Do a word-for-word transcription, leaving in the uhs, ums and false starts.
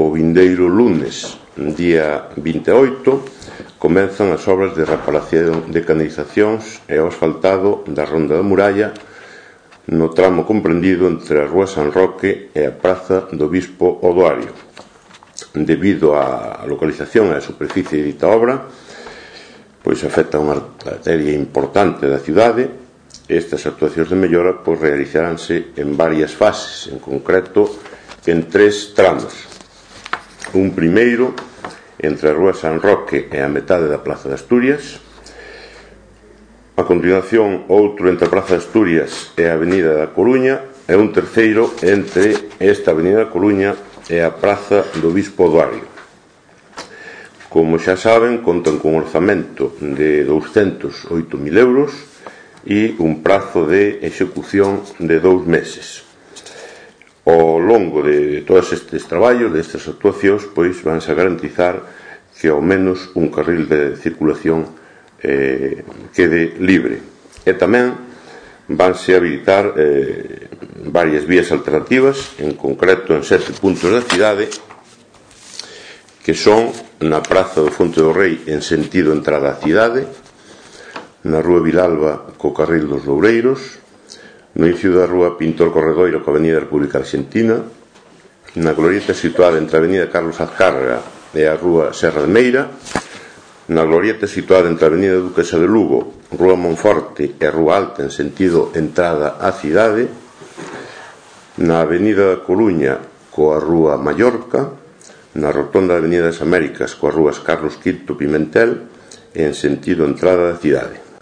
o vindeiro lunes, día vinte e oito, comenzan as obras de reparación de canalizacións e o asfaltado da Ronda da Muralla no tramo comprendido entre a Rúa San Roque e a Praza do Bispo Odoario. Debido á localización e á superficie de dita obra, pois afecta unha arteria importante da cidade. Estas actuacións de mellora pois realizaránse en varias fases, en concreto en tres tramos. Un primeiro entre a Rúa San Roque e a metade da Praza de Asturias. A continuación, outro entre a Praza de Asturias e a Avenida da Coruña, e un terceiro entre esta Avenida da Coruña e a Praza do Bispo Odoario. Como xa saben, contan con un orzamento de douscentos e oito mil euros e un prazo de execución de dous meses. Ao longo de todos estes traballos, destas actuacións, pois vanse a garantizar que ao menos un carril de circulación eh, quede libre. E tamén vanse a habilitar eh, varias vías alternativas, en concreto en sete puntos da cidade, que son na Praza do Fonte do Rei en sentido entrada á cidade, na Rúa Vilalba co carril dos Loureiros, no inicio da Rúa Pintor Corredoiro coa Avenida República Argentina, na glorieta situada entre a Avenida Carlos Azcárraga e a Rúa Serra de Meira, na glorieta situada entre a Avenida Duquesa de Lugo, Rúa Monforte e Rúa Alta en sentido entrada á cidade, na Avenida da Coruña coa Rúa Mallorca, na rotonda da Avenida das Américas coas rúas Carlos quinto Pimentel e en sentido entrada da cidade.